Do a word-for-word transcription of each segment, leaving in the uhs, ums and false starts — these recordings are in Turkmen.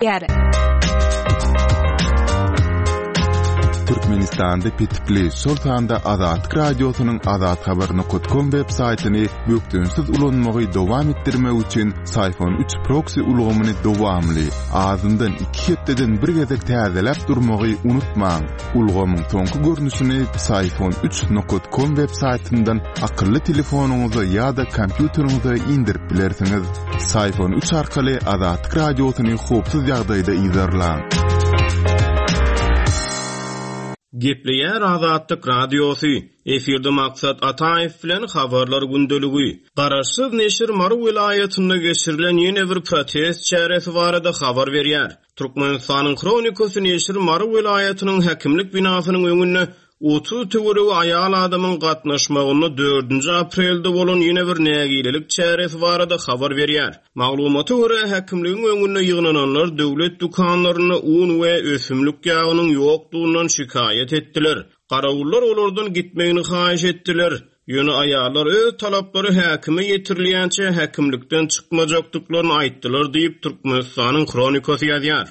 Ýär. Türkmenistanda petikli, şol sanda Azatlyk Radiosynyň azathabar nokat kom web saýtyny bökdençsiz ulanmagy dowam etdirmek üçin Syfon üç proksi ulgamyny dowamly, azyndan iki hepdeden bir gezek täzeläp durmagy unutmaň. Ulgamyň soňky görnüşini Syfon üç nokat kom web saýtyndan akylly telefonyňyza ýa-da kompýuteriňize indirip bilersiňiz. Syfon üç arkaly Azatlyk Radiosyny howpsuz ýagdaýda yzarlaň. Gepleýär Azatlyk Radiosy. Efirde Maksat Ataýew bilen Habarlar gündeligi. Garaşsyz neşir Mary welaýatynda geçirilen ýene bir protest çäresi barada habar berýär. Türkmenistanyň Hronikasy neşir Mary welaýatynyň häkimlik binasynyň öňünde otuz töweregi aýal adamyň gatnaşmagynda dördünji aprelde bolan ýene bir nägilelik çäresi barada habar berýär. Maglumata görä, häkimligiň öňünde ýygnananlar döwlet dükanlarynda un we ösümlik ýagynyň ýokdugyny şikaýat etdiler. Garawullar olardan gitmegini haýyş etdiler. Ýöne aýallar öz talaplary häkime ýetirilýänçe häkimlikden çykmajakdyklaryny aýtdylar diýip Türkmenistanyň Hronikasy ýazýar.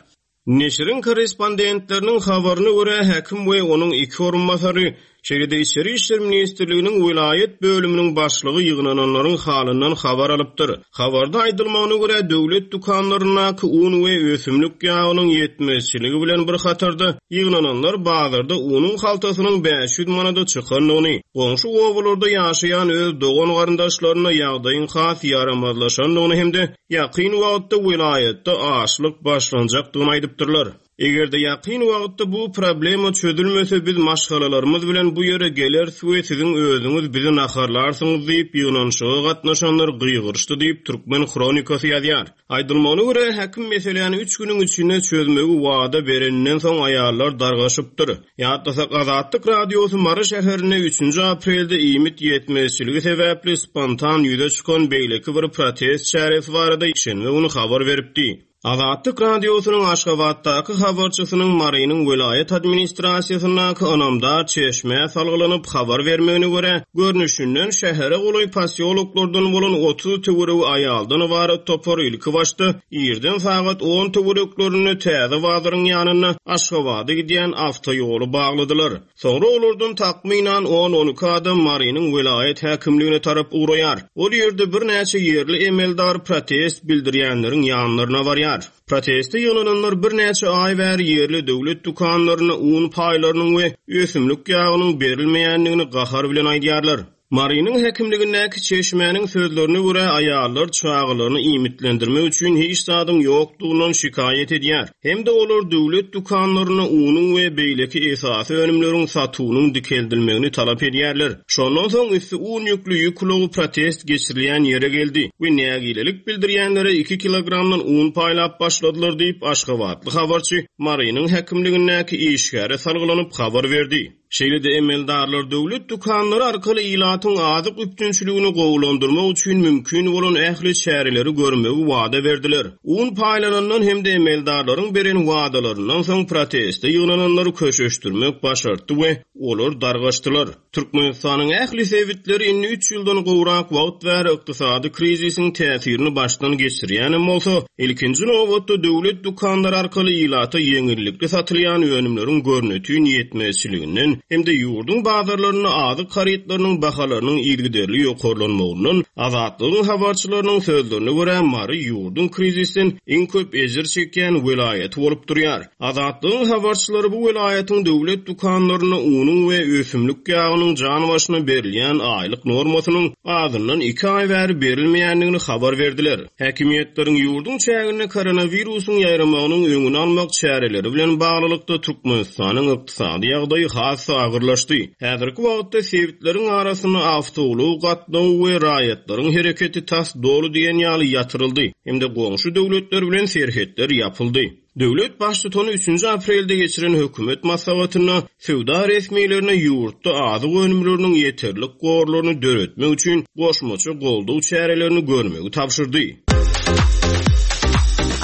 Neşiriň korrespondentleriniň habaryna görä, häkim we onuň iki orunbasary, şeýle-de Içeri işler ministrliginiň welaýat bölüminiň başlygy ýygnananlaryň halyndan habar alypdyr. Habarda aýdylmagyna görä, döwlet dükanlaryndaky un we ösümlik ýagynyň ýetmezçiligi bilen bir hatarda ýygnananlar bazarda unuň haltasynyň bäş ýüz manada çykandygyny, goňşy obalarda ýaşaýan öz dogan garyndaşlaryna ýagdaýyň has ýaramazlaşandygyny hem-de ýakyn wagtda welaýatda açlyk başlanjakdygyny aýdypdyrlar. Eger-de ýakyn wagtda bu problema çözülmese, biz maşgalalarymyz bilen bu ýere geleris we siziň özüňiz bizi naharlarsyňyz diýip ýygnanyşyga gatnaşanlar gygyryşdy diýip Türkmen Hronikasy ýazýar. Aýdylmagyna görä, häkim meseläni üç günüň içinde çözmegi wada bereninden soň aýallar dargaşypdyr. Ýatlasak, Azatlyk Radiosy Mary şäherinde üçünji aprelde iýmit ýetmezçiligi sebäpli spontan ýüze çykan beýleki bir protest çäresi barada şenbe güni habar beripdi. Azatlyk Radiosynyň Aşgabatdaky habarçysynyň Marynyň welaýat administrasiýasyndaky ynamdar çeşmä salgylanyp habar bermegine görä, görnüşinden şähere golaý posýoloklardan bolan otuz töweregi aýaldan ybarat topar ilki başda irden sagat on töwereklerinde täze bazaryň ýanynda Aşgabada gidýän awtoýoly bagladylar. Soňra olardan takmynan on-on iki adam Marynyň welaýat häkimligine tarap ugraýar. Ol ýerde birnäçe ýerli emeldar protest bildirýänleriň ýanlaryna barýar. Proteste ýygnananlar birnäçe aý bäri ýerli döwlet dükanlaryna un paýlarynyň we ösümlik ýagynyň berilmeýändigini gahar bilen aýdýarlar. Marynyň häkimligindäki çeşmäniň sözlerine görä, aýallar çagalaryny iýmitlendirmek üçin hiç zadyň ýokdugyndan şikaýat edýär. Hem-de olar döwlet dükanlaryna unuň we beýleki esasy önümleriň satuwynyň dikeldilmegini talap edýärler. Şondan soň üsti un ýükli ýük ulagy protest geçirilýän ýere geldi we nägilelik bildirýänlere iki kilogramdan un paýlap başladylar diýip Aşgabatly habarçy Marynyň häkimligindäki işgäre salgylanyp habar berdi. Şeýle-de emeldarlar döwlet dükanlary arkaly ilatyň azyk üpjünçiligini gowulandyrmak üçin mümkin bolan ähli çäreleri görmegi wada berdiler. Un paýlanandan hem-de emeldarlaryň beren wadalaryndan soň proteste ýygnananlary köşeşdirmek başartdy we olar dargaşdylar. Türkmenistanyň ähli sebitleri indi üç ýyldan gowrak wagt bäri ykdysady krizisiň täsirini başdan geçirýänem bolsa, ilkinji nobatda döwlet dükanlary arkaly ilata ýeňillikli satylýan önümleriň görnütün ýetmezçiliginden hem-de ýurduň bazarlarynda azyk harytlarynyň bahalarynyň yzygiderli ýokarlanmagyndan Azatlygyň habarçylarynyň sözlerine görä Mary ýurduň krizisden iň köp ejir çekýän welaýaty bolup durýar. Azatlygyň habarçylary bu welaýatyň döwlet dükanlarynda unuň we ösümlik ýagynyň jan başyna berilýän aýlyk normasynyň azyndan iki aý bäri berilmeýändigini habar berdiler. Häkimiýetleriň ýurduň çäginde koronawirusyň ýaýramagynyň öňüni almak çäreleri bilen baglylykda Türkmenistanyň ykdysady ýagdaýy has agyrlaşdy. Häzirki wagtda sebitleriň arasynda awtoulag gatnawy we raýatlaryň hereketi tas doly diýen ýaly ýatyryldy hem-de goňşy döwletler bilen serhetler ýapyldy. Döwlet baştutany üçünji aprelde geçiren hökümet maslahatynda söwda resmilerine ýurtda azyk önümleriniň ýeterlik gorlaryny döretmek üçin goşmaça goldaw çärelerini görmegi tabşyrdy.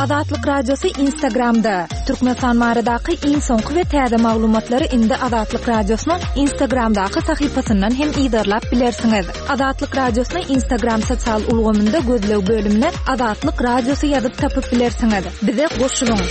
Azatlyk Radiosy Instagramda. Türkmenistan baradaky iň soňky we täze maglumatlary indi Azatlyk Radiosynyň Instagramdaky sahypasyndan hem yzarlap bilersiňiz. Azatlyk Radiosyny Instagram sosial ulgamynda gözleg bölümine Azatlyk Radiosy ýazyp tapyp bilersiňiz. Bize goşulyň.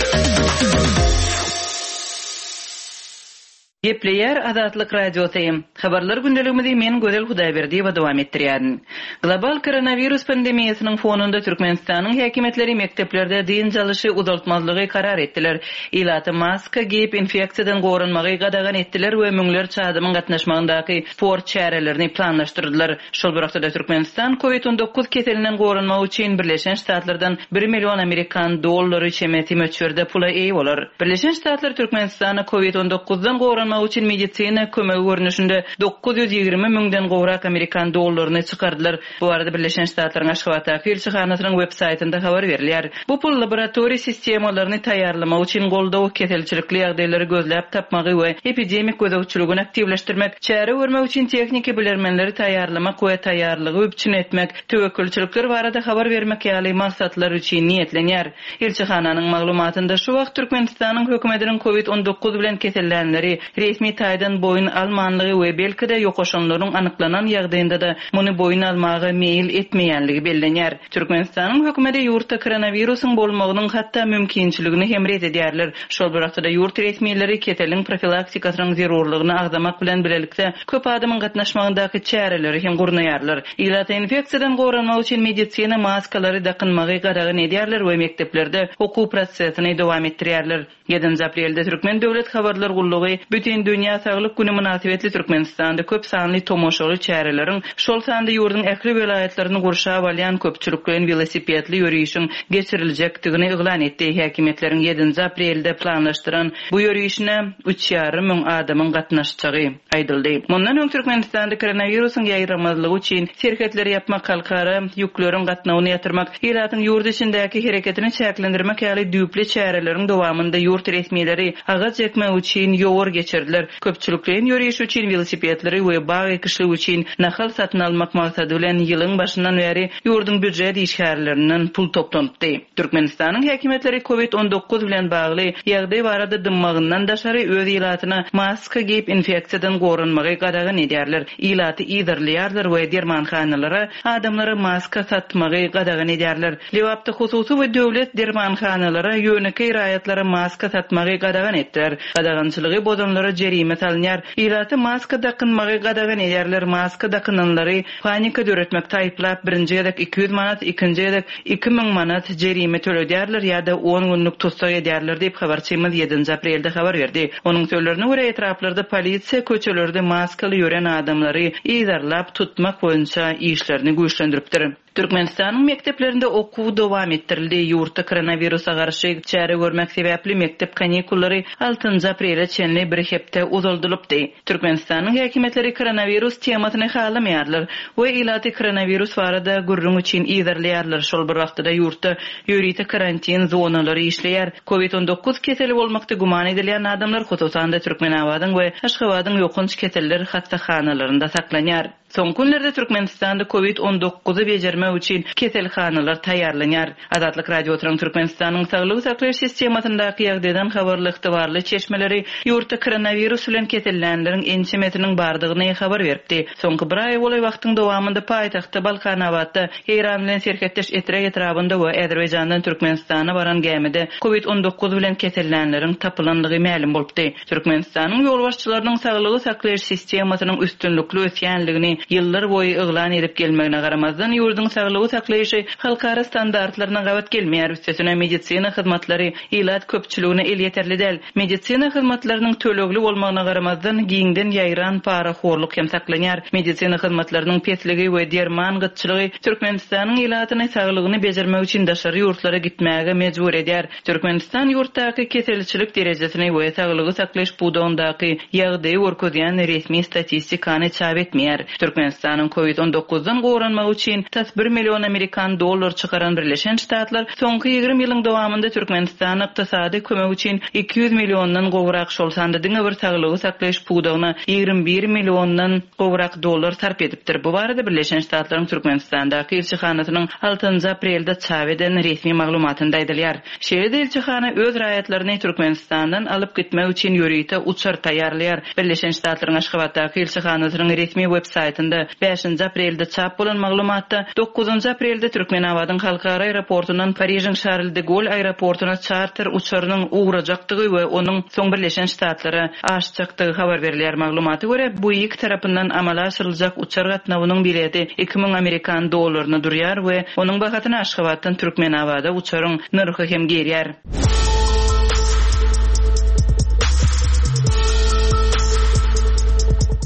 Gepleýär Azatlyk Radiosy. Habarlar gündeligimizi men Gözel Hudaýberdiýewa dowam etdirýärin. Global koronawirus pandemiýasynyň fonunda Türkmenistanyň häkimiýetleri mekdeplerde dynç alyşy uzaltmazlygy karar etdiler. Ilata maska geýip infeksiýadan goranmagy gadagan etdiler we müňlerçe adamyň gatnaşmagyndaky sport çärelerini planlaşdyrdylar. Şol bir wagtda Türkmenistan COVID on dokuz keselinden goranmak üçin Birleşen Ştatlardan bir million amerikan dollary çemesi möçberde pula eýe bolar. Birleşen Ştatlar Türkmenistana COVID on dokuzdan goranmak üçin medisina kömegi görnüşinde dokuz ýüz ýigrimi müňden gowrak amerikan dollaryny çykardylar. Bu arada Birleşen Ştatlaryň Aşgabatdaky ilçihanasynyň web saýtynda habar berilýär. Bu pul laboratoriýa sistemalaryny taýýarlamak üçin goldaw keselçilikli ýagdaýlary gözläp tapmagy we epidemik gözegçiligini aktiwleşdirmek, çäre görmek üçin tehniki bilermenleri taýýarlamak we taýýarlygy üpjün etmek, töwekgelçilikler barada habar bermek ýaly maksatlar üçin niýetlenýär. Ilçihananyň maglumatynda şu wagt Türkmenistanyň hökümetiniň COVID on dokuz bilen kesellänleri resmi taýdan boýun almanlygy we belki-de ýokaşanlaryň anyklanan ýagdaýynda da muny boýun almaga meýil etmeýänligi bellenýär. Türkmenistanyň hökümeti ýurtda koronawirusyň bolmagynyň hatda mümkinçiligini hem ret edýärler. Şol bir wagtda ýurt resmileri keseliň profilaktikasynyň zerurlygyny agzamak bilen bilelikde köp adamyň gatnaşmagyndaky çäreleri hem gurnaýarlar. Ilata infeksiýadan goranmak üçin medisina maskalary dakynmagy gadagan edýärler we mekdeplerde okuw prosesini dowam etdirýärler. Ýedinji aprelde Türkmen Döwlet Habarlar Gullugy Bütün Dünýä Saglyk Güni mynasybetli Türkmenistanda köp sanly tomaşaly çäreleriň, şol sanda ýurduň ähli welaýatlaryny gurşap alýan köpçülikleýin welosipedli ýörişiň geçiriljekdigini yglan etdi. Häkimiýetleriň ýedinji aprelde planlaşdyran bu ýörişine üç ýarym müň adamyň gatnaşjagy aýdyldy. Mundan öň Türkmenistanda koronawirusyň ýaýramazlygy üçin serhetleri ýapmak, halkara ýükleriň gatnawyny ýatyrmak, ilatyň ýurt içindäki hereketini çäklendirmek ýaly düýpli çäreleriň dowamynda ýurt resmileri agaç ekmek üçin ýowar geçirdiler. Köpçülikleýin ýöriş üçin welosipedleri we bag ekişligi üçin nahal satyn almak maksady bilen ýylyň başyndan bäri ýurduň býujet işgärlerinden pul toplanypdy. Türkmenistanyň häkimiýetleri COVID on dokuz bilen bagly ýagdaý barada dymmagyndan daşary öz ilatyna maska geýip infeksiýadan goranmagy gadagan edýärler. Ilaty yzarlaýarlar we dermanhanalara adamlara maska satmagy gadagan edýärler. Lebapda hususy we döwlet dermanhanalara ýönekeý raýatlara maska satmagy gadagan etdiler. Gadagançylygy bozanlara jerime salynýar. Ilaty maska dakynmagy gadagan edýärler. Maska dakynanlary panika döretmek taýyplap birinji gezek iki ýüz manat, ikinji gezek iki müň manat jerime töledýärler ýa-da on günlük tussag edýärler diýip habarçymyz ýedinji aprelde habar berdi. Onuň sözlerine görä etraplarda polisiýa köçelerde maskaly ýören adamlary yzarlap tutmak boýunça işlerini güýçlendiripdir. Türkmenistanyň mekdeplerinde okuw dowam etdirildi. Ýurtda koronawirusa garşy çäre görmek sebäpli mekdep kanikullary altynjy aprele çenli bir hepde uzaldylypdy. Türkmenistanyň häkimiýetleri koronawirus temasyny halamaýarlar we ilaty koronawirus barada gürrüň üçin yzarlaýarlar. Şol bir wagtda ýurtda ýörite karantin zonalary işleýär. COVID on dokuz keseli bolmakda güman edilýän adamlar hususan-da Türkmenabadyň we Aşgabadyň ýokanç keseller hassahanalarynda saklanýar. Soňky günlerde Türkmenistanda COVID on dokuzy bejermek üçin keselhanalar taýýarlanýar. Azatlyk Radiosynyň Türkmenistanyň saglyk saklaýyş sistemasyndaky ýagdaýdan habarly ygtybarly çeşmeleri ýurtda koronawirus bilen kesellänleriň ençemesiniň bardygyny habar beripdi. Soňky bir aý golaý wagtyň dowamynda paýtagtda Balkanabatda Eýran bilen serhetdeş Etrek etrabynda we Azerbaýjandan Türkmenistana baran gämide COVID on dokuz bilen kesellänleriň tapylanlygy mälim bolupdy. Türkmenistanyň ýolbaşçylarynyň saglygy saklaýyş sistemasynyň üstünlikli ösýänligini ýyllar boýy yglan edip gelmegine garamazdan ýurduň saglygy saklaýyşy halkara standartlaryna gabat gelmeýär. Üstesine medisina hyzmatlary ilat köpçüligine elýeterli däl. Medisina hyzmatlarynyň tölegli bolmagyna garamazdan giňden ýaýran parahorluk hem saklanýar. Medisina hyzmatlarynyň pesligi we derman gytçylygy Türkmenistanyň ilatyny saglygyny bejermek üçin daşary ýurtlara gitmäge mejbur edýär. Türkmenistan ýurtdaky keselçilik derejesini we saglygy saklaýyş pudagyndaky ýagdaýy görkezýän resmi statistikany çap etmeýär. Türkmenistanyň COVID on dokuzdan goranmagy üçin tas bir million Amerikan dollar çykaran Birleşen Ştatlar soňky ýigrimi ýylyň dowamynda Türkmenistana ykdysady kömek üçin iki ýüz milliondan gowrak, şol sanda diňe bir saglygy saklaýyş pudagyna ýigrimi bir milliondan gowrak dollar sarp edipdir. Bu barada Birleşen Ştatlaryň Türkmenistandaky ilçihanasynyň altynjy aprelde çap eden resmi maglumatynda aýdylýar. Şeýle-de ilçihana öz raýatlaryny Türkmenistandan alyp gitmek üçin ýörite uçar taýýarlaýar. Birleşen Ştatlaryň Aşgabatdaky ilçihanasynyň resmi web saýtynda bäşinji aprelde çap bolan maglumatda dokuzynjy aprelde Türkmenabadyň halkara aeroportundan Parižiň Charles de Gaulle aeroportuna charter uçarynyň ugrajakdygy we onuň soň Birleşen Ştatlara aşjakdygy habar berilýär. Maglumata görä, bu iki tarapyndan amala aşyryljak uçar gatnawynyň bileti iki müň Amerikan dollaryna durýar we onuň bahasyny Aşgabatdan Türkmenabada uçaryň nyrhy hem gelýär.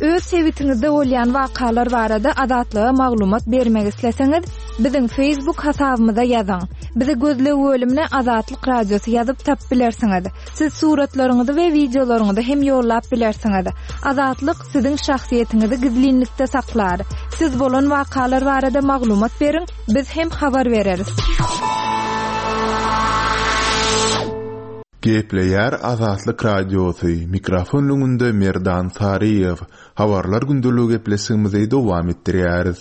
Öz sebitiňizde bolýan wakalar barada Azatlyga maglumat bermek isleseňiz, biziň Facebook hasabymyza ýazyň. Bizi gözleg bölümine Azatlyk Radiosy ýazyp tap bilersiňiz. Siz suratlaryňyzy we wideolaryňyzy hem ýollap bilersiňiz. Azatlyk siziň şahsyýetiňizi gizlinlikde saklar. Siz bolan wakalar barada maglumat beriň, biz hem habar bereris. Gepleýär Azatlyk Radiosy, mikrofon öňünde Merdan Saryýew. Habarlar gündeligi gepleşigimizi dowam etdirýäris.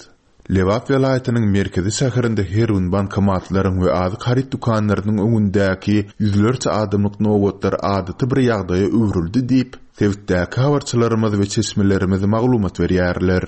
Lebap welaýatynyň merkezi şäherinde her gün bankomatlaryň we azyk haryt dükanlarynyň öňündäki ýüzlerçe adamlyk nobatlar adaty bir ýagdaýa öwrüldi diýip, sebitdäki habarçylarymyz we çeşmelerimiz maglumat berýärler.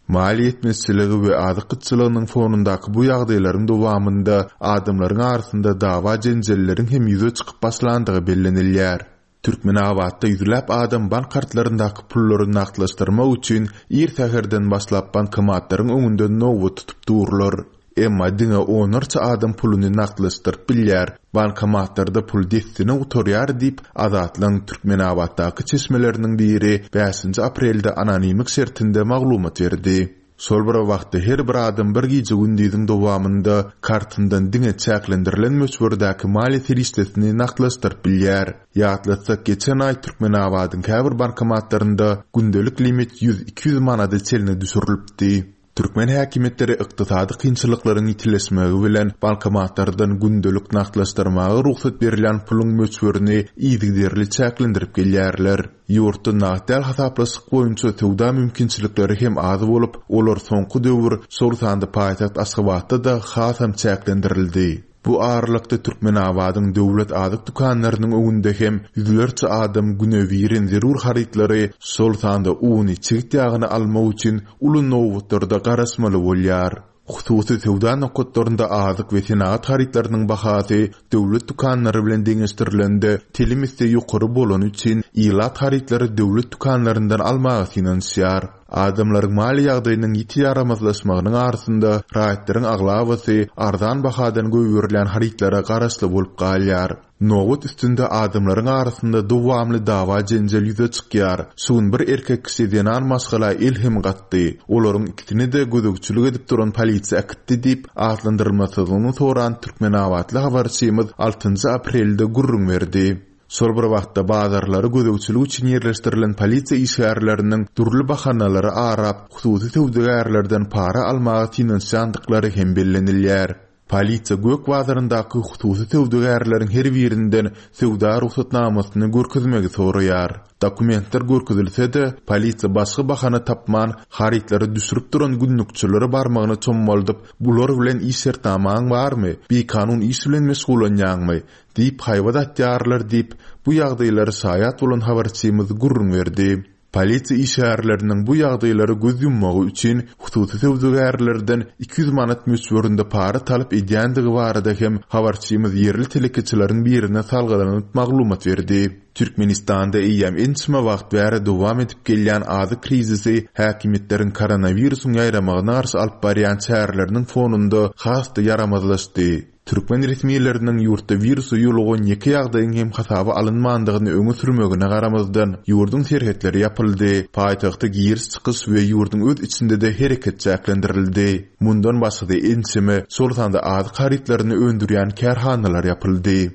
Maliýe ýetmezçiligi we azyk gytçylygynyň fonundaky bu ýagdaýlaryň dowamynda adamlaryň arasynda dawa jenjelleriň hem ýüze çykyp başlandygy bellenilýär. Türkmenabatda ýüzläp adam bank kartlaryndaky pullary nagtlaşdyrmak üçin ir säherden başlap bankomatlaryň öňünde nobat tutup durlar. Emma diňe onlarça adam puluny nagtlaşdyryp bilýär. Bankomatlarda pul dessine gutarýar diýip, Azatlygyň Türkmenabatdaky çeşmeleriniň biri bäşinji aprelde anonimlik şertinde maglumat berdi. Şol bir wagtda her bir adam bir gije gündiziň dowamynda kartyndan diňe çäklendirilen möçberdäki maliýe serişdesini nagtlaşdyryp bilýär. Ýatlatsak, geçen aý Türkmenabadyň käbir bankomatlarynda gündelik limit ýüz iki ýüz manada çenli düşürilipdi. Türkmen häkimiýetleri ykdysady kynçylyklaryň ýitileşmegi bilen bankomatlardan gündelik nagtlaşdyrmaga rugsat berilýän puluň möçberini yzygiderli çäklendirip gelýärler. Ýurtda nagt däl hasaplaşyk boýunça söwda mümkinçilikleri hem az bolup, olar soňky döwür şol sanda paýtagt Aşgabatda-da hasam çäklendirildi. Bu aralykda Türkmenabadyň döwlet azyk dükanlarynyň öňünde hem ýüzlerçe adam günebirin zerur harytlary, şol sanda uny, çigit ýagyny almak üçin uly nobatlarda garaşmaly bolýar. Hususy söwda nokatlarynda azyk we senagat harytlarynyň bahasy döwlet dükanlary bilen deňeşdirilende telim esse ýokary bolany üçin ilat harytlary döwlet dükanlaryndan almaga synanyşýar. Adamlaryň maliýe ýagdaýynyň ýiti ýaramazlaşmagynyň arasynda raýatlaryň aglabasy arzan bahadan goýberilýän harytlara garaşly bolup galýar. Nobat üstünde adamlaryň arasynda dowamly dawa jenjel ýüze çykýar. Şu gün bir erkek kişi zenan maşgala el hem gatdy. Olaryň ikisini de gözegçilik edip duran polisiýa äkitdi diýip, atlandyrylmasyny soran Türkmenabatly habarçymyz altynjy aprelde gürrüň berdi. Şol bir wagtda bazarlary gözegçilik üçin ýerleşdirilen polisiýa işgärleriniň dürli bahanalary arap, hususy söwdagärlerden para almaga synanyşýandyklary hem bellenilýär. Polisiýa Gök bazaryndaky hususy söwdagärleriň her birinden söwda rugsatnamasyny görkezmegi soraýar. Dokumentler görkezilse-de, polisiýa başga bahana tapman, harytlary düşürip duran günlükçilere barmagyny çommaldyp, bular bilen iş şertnamaň barmy, bikanun iş bilen meşgullanýaňmy diýip haýbat atýarlar diýip, bu ýagdaýlary şaýat bolan habarçymyz gürrüň berdi. Polisiýa işgärleriniň bu ýagdaýlary göz ýummagy üçin hususy söwdagärlerden iki ýüz manat möçberinde para talap edýändigi barada hem habarçymyz ýerli telekeçileriň birine salgylanyp maglumat berdi. Türkmenistanda eýýäm ençeme wagt bäri dowam edip gelýän azyk krizisi häkimiýetleriň koronawirusyň ýaýramagyna garşy alyp barýan çäreleriniň fonunda has-da ýaramazlaşdy. Türkmen resmileriniň ýurtda wirusa ýolugan ýeke ýagdaýyň hem hasaba alynmandygyny öňe sürmegine garamazdan, ýurduň serhetleri ýapyldy, paýtagta giriş-çykyş we ýurduň öz içinde-de hereket çäklendirildi. Mundan başga-da ençeme, şol sanda azyk harytlaryny öndürýän kärhanalar ýapyldy.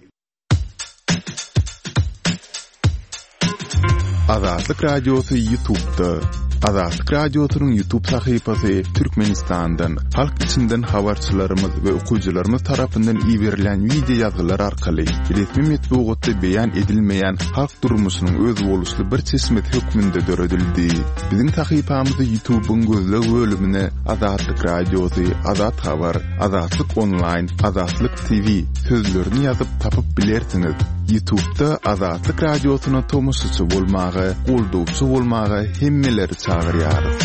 Azatlyk Radiosy YouTube'da. Azatlyk Radiosynyň YouTube sahypasy Türkmenistandan, halk içinden habarçylarymyz we okyjylarymyz tarapyndan iberilen wideo ýazgylar arkaly resmi metbugatda beýan edilmeýän halk durmuşynyň özboluşly bir çeşmesi hökmünde döredildi. Biziň sahypamyzy YouTube'yň gözleg bölümine Azatlyk Radiosy, Azat Habar, Azatlyk Online, Azatlyk T V sözlerini ýazyp tapyp bilersiňiz. YouTube'da Azatlyk Radiosyna tomaşaçy bolmaga, goldawçy bolmaga hemmeleri çagyrýarys.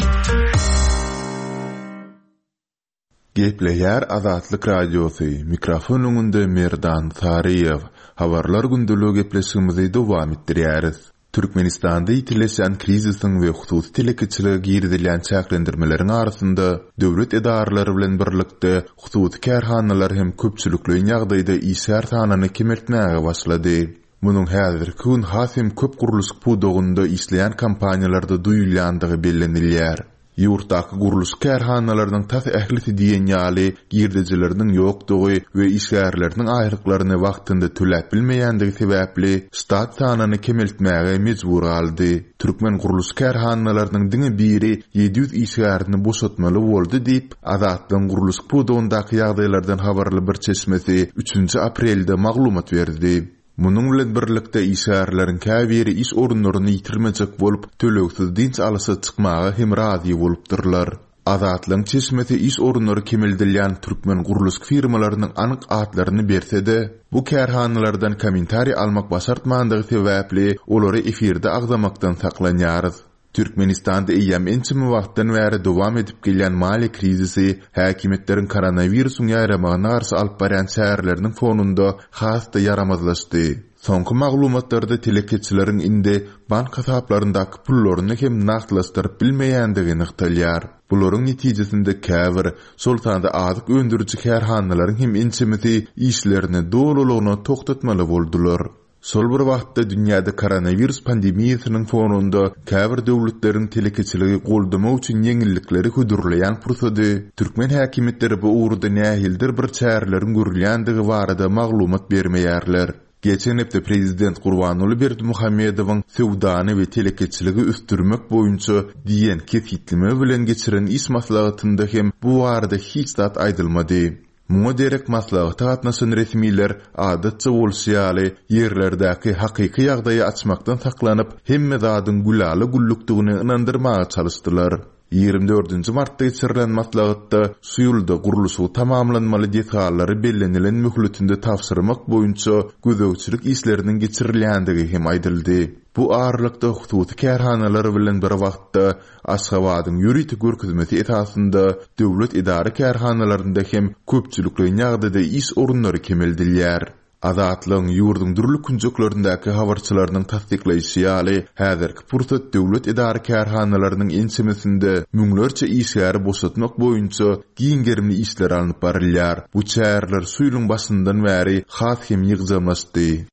Gepleýär Azatlyk Radiosy, mikrofon öňünde Merdan Saryýew. Habarlar gündeligi gepleşigimizi dowam etdirýäris. Türkmenistanda ýitileşen krizisiň we hususy telekeçilige girizilýän çäklendirmeleriň arasynda döwlet edaralary bilen birlikde hususy kärhanalar hem köpçülikleýin ýagdaýda işgär sanyny kemeltmäge başlady. Munuň häzirki gün has hem köp gurluşyk pudagynda işleýän kompaniýalarda duýulýandygy bellenilýär. Ýurtdaky gurluşyk kärhanalarynyň tas ählisi diýen ýaly girdejileriniň ýokdugy we işgärleriniň aýlyklaryny wagtynda töläp bilmeýändigi sebäpli ştat sanyny kemeltmäge mejbur galdy. Türkmen gurluşyk kärhanalarynyň diňe biri ýedi ýüz işgärini boşatmaly boldy diýip, Azatlygyň gurluşyk pudagyndaky ýagdaýlardan habarly bir çeşmesi üçünji aprelde maglumat berdi. Munuň bilen birlikde işgärleriň käbiri iş orunlaryny ýitirmejek bolup, tölegsiz dynç alyşa çykmaga hem razy bolupdyrlar. Azatlygyň çeşmesi iş orunlary kemeldilýän türkmen gurluşyk firmalarynyň anyk atlaryny berse-de, bu kärhanalardan kommentariý almak başartmandygy sebäpli olary efirde agzamakdan saklanýarys. Türkmenistanda eýýäm ençeme wagtdan bäri dowam edip gelýän maliýe krizisi häkimiýetleriň koronawirusyň ýaýramagyna garşy alyp barýan çäreleriniň fonunda has-da ýaramazlaşdy. Soňky maglumatlarda telekeçileriň indi bank hasaplaryndaky pullaryny hem nagtlaşdyryp bilmeýändigi nygtalýar. Bularyň netijesinde käbir, şol sanda azyk öndüriji kärhanalaryň hem ençemesi işlerini dolulygyna togtatmaly boldular. Şol bir wagtda dünýäde koronawirus pandemiýasynyň fonunda käbir döwletleriň telekeçiligi goldamak üçin ýeňillikleri hödürleýän pursady türkmen häkimiýetleri bu ugurda nähilidir bir çäreleriň görülýändigi barada maglumat bermeýärler. Geçen hepde Prezident Gurbanguly Berdimuhamedowyň söwdany we telekeçiligi ösdürmek boýunça diýen kesgitleme bilen geçiren iş maslahatynda hem bu barada hiç zat aýdylmady. Muňa derek maslahata gatnaşan resmiler adatça bolşy ýaly ýerlerdäki hakyky ýagdaýy açmakdan saklanyp, hemme zadyň gülala güllükdigini ynandyrmaga çalyşdylar. Ýigrimi dördünji martda geçirilen maslahatda şu ýylda gurluşygy tamamlanmaly desgalary bellenilen möhletinde tabşyrmak boýunça gözegçilik işleriniň geçirilýändigi hem aýdyldy. Bu aralykda hususy kärhanalar bilen bir wagtda Aşgabadyň ýörite görkezmesi esasynda döwlet edara kärhanalarynda hem köpçülikleýin ýagdaýda iş orunlary kemeldilýär. Azatlygyň ýurduň dürli künjeklerindäki habarçylarynyň tassyklaýşy ýaly, häzirki pursat döwlet edara kärhanalarynyň ençemesinde müňlerçe işgäri boşatmak boýunça giň gerimli işler alnyp barylýar. Bu çäreler şu ýylyň başyndan bäri has hem ýygjamlaşdy.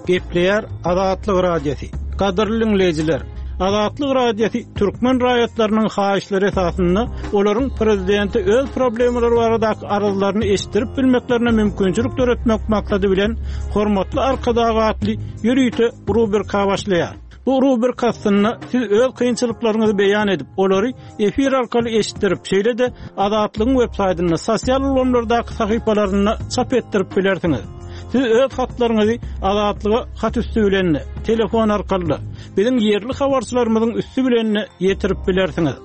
Gepleýär Azatlyk Radiosy. Gadyrly dinleýjiler, Azatlyk Radiosy türkmen raýatlarynyň haýyşlary esasynda olaryň prezidenti öz problemalary baradaky arzlaryny eşitdirip bilmeklerine mümkinçilik döretmek maksady bilen Hormatly Arkadag atly ýörite rubrika başlaýar. Bu rubrika aslynda siz öz kynçylyklaryňyzy beýan edip, olary efir arkaly eşitdirip, şeýle-de Azatlygyň web saýtynda, sosial ulgamlardaky sahypalarynda çap etdirip bilersiňiz. Siz öz hatlaryňyzy Azatlyga hat üstü bilen, telefon arkaly, biziň ýerli habarçylarymyzyň üstü bilen ýetirip bilersiňiz.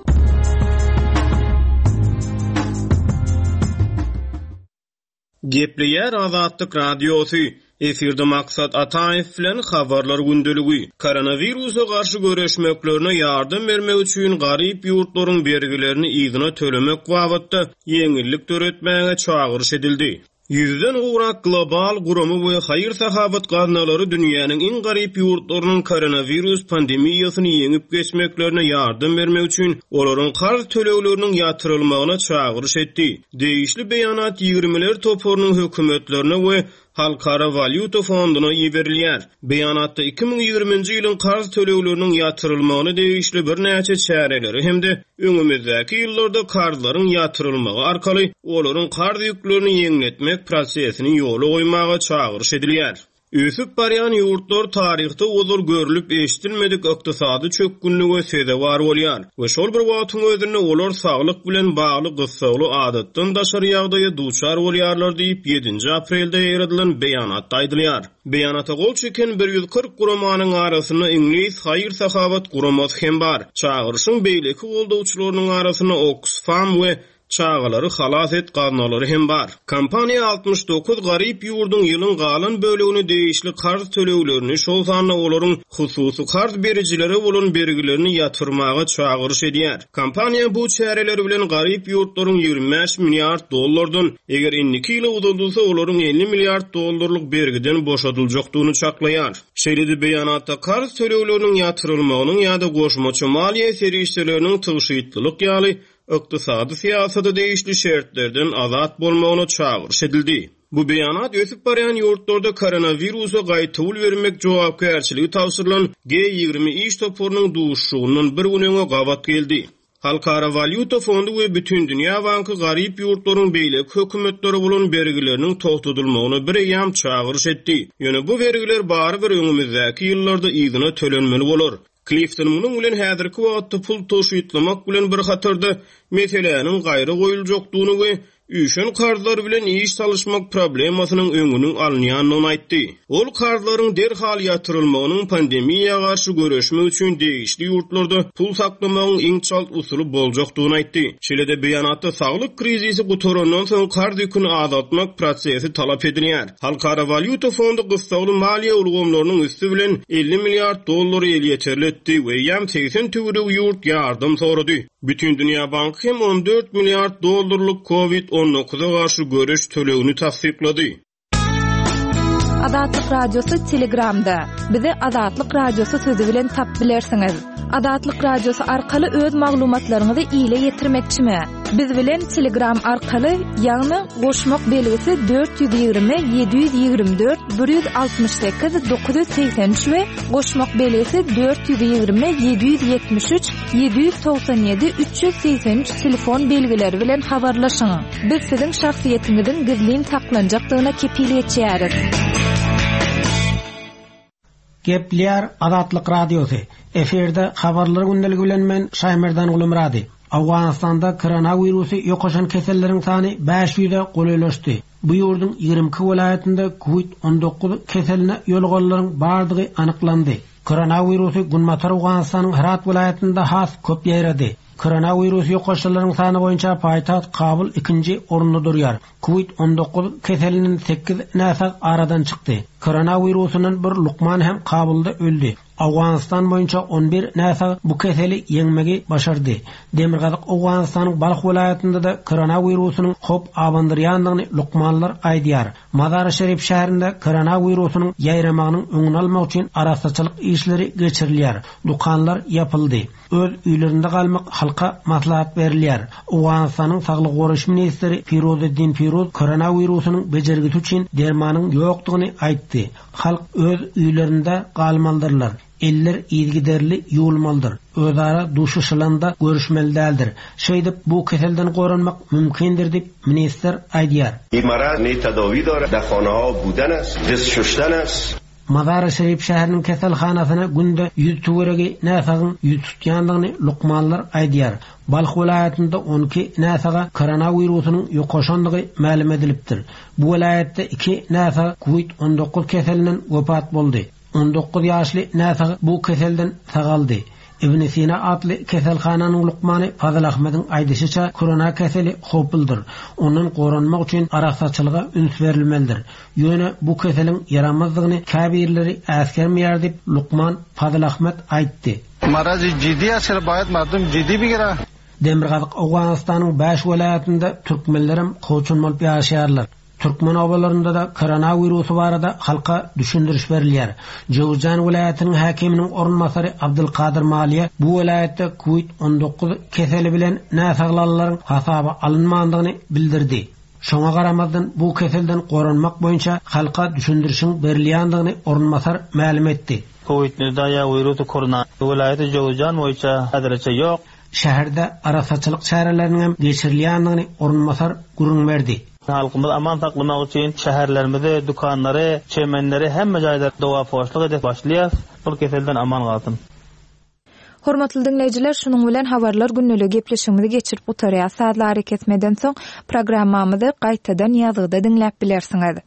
Gepleýär Azatlyk Radiosy. Efirde Maksat Ataýew bilen habarlar gündeligi. Koronawirusa garşy göreşmeklerine ýardam bermek üçin garyp ýurtlaryň bergilerini yzyna tölemek babatda ýeňillik döretmäge çagyryş edildi. Ýüzden gowrak global gurama we haýyr-sahabat gaznalary dünýäniň iň garyp ýurtlarynyň koronawirus pandemiýasyny ýeňip geçmeklerine ýardam bermek üçin olaryň karz tölegleriniň ýatyrylmagyna çagyryş etdi. Degişli beýanat ýigirmiler toparynyň hökümetlerine we Halkara Walýuta Fonduna iberilýär. Beýanatda iki müň ýigriminji ýylyň karz tölegleriniň ýatyrylmagyna degişli birnäçe çäreleri hem-de öňümizdäki ýyllarda karzlaryň ýatyrylmagy arkaly olaryň karz ýüklerini ýeňletmek prosesini ýola goýmaga çagyryş edilýär. Ösüp barýan ýurtlar taryhda ozal görülip eşidilmedik ykdysady çökgünlige sezewar bolýar we şol bir wagtyň özünde olar saglyk bilen bagly gyssagly adatdan daşary ýagdaýa duçar bolýarlar diýip ýedinji aprelde ýaýradylan beýanatda aýdylýar. Beýanata gol çeken bir ýüz kyrk guramanyň arasynda Iňlis haýyr-sahawat guramasy hem bar. Çagyryşyň beýleki goldawçylarynyň arasynda Oxfam we Çagalary halas et gaznalary hem bar. Kompaniýa altmyş dokuz garyp ýurduň ýylyň galan bölegini degişli karz töleglerini, şol sanda olaryň hususy karz berijilere bolan bergilerini ýatyrmaga çagyryş edýär. Kompaniýa bu çäreler bilen garyp ýurtlaryň ýigrimi bäş milliard dollardan, eger indiki ýyla uzadylsa olaryň elli milliard dollarlyk bergiden boşadyljakdygyny çaklaýar. Şeýle-de beýanatda karz tölegleriniň ýatyrylmagynyň ýa-da goşmaça maliýe serişdeleriniň tygşytlylyk ýaly ykdysady syýasata degişli şertlerden azat bolmagyna çagyryş edildi. Bu beýanat ösüp barýan ýurtlarda koronawirusa gaýtawul bermek jogapkärçiligi tabşyrylan G ýigrimi iş toparynyň duşuşygyndan bir gün öňe gabat geldi. Halkara Walýuta fondy we Bütindünýä banky garyp ýurtlaryň beýleki hökümetleri bolan bergileriniň togtadylmagyna bir eýýam çagyryş etdi. Ýöne bu bergiler barybir öňümizdäki ýyllarda yzyna tölenmeli bolar. Clifton munuň bilen häzirki wagtda pul tygşytlamak bilen bir hatarda meseläniň gaýra goýuljakdygyny we üýşen karzlar bilen iş salyşmak problemasynyň öňüniň alynýandygyny aýtdy. Ol karzlaryň derhal ýatyrylmagynyň pandemiýa garşy göreşmek üçin degişli ýurtlarda pul saklamagyň iň çalt usuly boljakdygyny aýtdy. Şeýle-de beýanatda saglyk krizisi gutarandan soň karz ýüküni azaltmak prosesi talap edilýär. Halkara Walýuta fondy gyssagly maliýe ulgamlarynyň üsti bilen elli milliard dollary elýeterli etdi we eýýäm segsen töweregi ýurt ýardam sorady. Bütindünýä banky hem on dört milliard dollarlyk COVID on dokuza garşy göreş tölegini tassyklady. Azatlyk Radiosy Telegramda. Bizi Azatlyk Radiosy sözü bilen tap bilersiňiz. Azatlyk Radiosy arkaly öz maglumatlaryňyzy ile ýetirmekçimi? Biz bilen Telegram arkaly, ýagny goşmak belgisi dört ýüz ýigrimi, ýedi ýüz ýigrimi dört, bir ýüz altmyş sekiz, dokuz ýüz segsen üç we goşmak belgisi dört ýüz ýigrimi, ýedi ýüz ýetmiş üç, ýedi ýüz togsan ýedi, üç ýüz segsen üç telefon belgileri bilen habarlaşyň. Biz siziň şahsyýetiňiziň gizlin saklanjakdygyna kepil geçýäris. Gepler Azatlyk Radiosy. Efirde habarlar gündeligi bilen men Şaýmerdan Gulumrady. Awganystanda koronawirusy ýokaşan keselleriň sany bäş ýüze golaýlaşdy. Bu ýurduň ýigrimi iki welaýatynda COVID on dokuz keseline ýolganlaryň bardygy anyklandy. Koronawirusy Günbatar Awganystanyň Herat welaýatynda has köp ýaýrady. Koronawirus ýokaşanlaryň sany boýunça paýtagt Kabul ikinji orunda durýar. COVID on dokuz keseliniň sekiz näsag aradan çykdy. Koronawirusynyň bir lukman hem Kabulda öldi. Awganistan boýunça on bir näsag bu keseli ýeňmegi başardy. Demirgazyk Awganistanyň Balh welaýatynda da koronawirusynyň hop abandyrýandygyny lukmanlar aýdýar. Mazar-ı Şerif şäherinde koronawirusynyň ýaýramagynyň öňüni almak üçin arassaçylyk işleri geçirilýär. Dukanlar ýapyldy. Öz öýlerinde galmak halka maslahat berilýär. Awganistanyň Saglyk goraýyş ministri Firuzeddin Firuz koronawirusynyň bejergisi üçin dermanyň ýokdugyny aýtdy. Halk öz öýlerinde galmalydyrlar. Eller yzygiderli ýuwulmalydyr. Özara duşuşylanda görüşmeli däldir. Şeýdip bu keselden goranmak mümkindir diýip ministr aýdýar. İmarat ne tedavi dara, daxonaha buden است, dest şuştan است. Mazar-ı Şerif şäheriniň keselhanasyna günde ýüz töweregi näsagyň ýüz tutýandygyny lukmanlar aýdýar. Balh welaýatynda on iki näsaga koronawirusynyň ýokaşandygy mälim edilipdir. Bu welaýatda iki näsag COVID on dokuz keselinden wepat boldy. On dokuz ýaşly näsag bu keselden sagaldy. Ibn Sina atly keselhananyň lukmany Fazıl Ahmediň aýdyşyça korona keseli howpludyr. Ondan goranmak üçin arassaçylyga üns berilmelidir. Ýöne bu keseliň ýaramazdygyny käbirleri äsgermeýär diýip lukman Fazıl Ahmed aýtdy. Maraz ciddi aşyr bayat mardum ciddi bigira. Demirgazyk Awganistanyň bäş welaýatynda türkmenlerim koçun bolup ýaşaýarlar. Türkmen obalarynda da koronawirusy barada halka düşündiriş berilýär. Jowzjan welaýatynyň häkiminiň orunbasary Abdulkadir Maliýe bu welaýatda COVID on dokuz keseli bilen näsaglanlaryň hasaba alynmandygyny bildirdi. Şoňa garamazdan bu keselden goranmak boýunça halka düşündirişiň berilýändigini orunbasar mälim etdi. COVID nüzdaýa wirusy korona welaýaty Jowzjan boýunça häzirçe ýok. Şäherde arassaçylyk çäreleriniň hem geçirilýändigini orunbasar gürrüň berdi. Halkymyzy aman saklamak üçin şäherlerimizi, dükanlary, çemenleri hemme jaýda doga-poşluk edip başlaýas. Bu keselden aman galsyn. Hormatly diňleýjiler, şunuň bilen habarlar gündeligi gepleşigimizi geçirip gutarýar. Sazlary kesmeden soň programmamyzy gaýtadan ýazgyda diňläp bilersiňiz.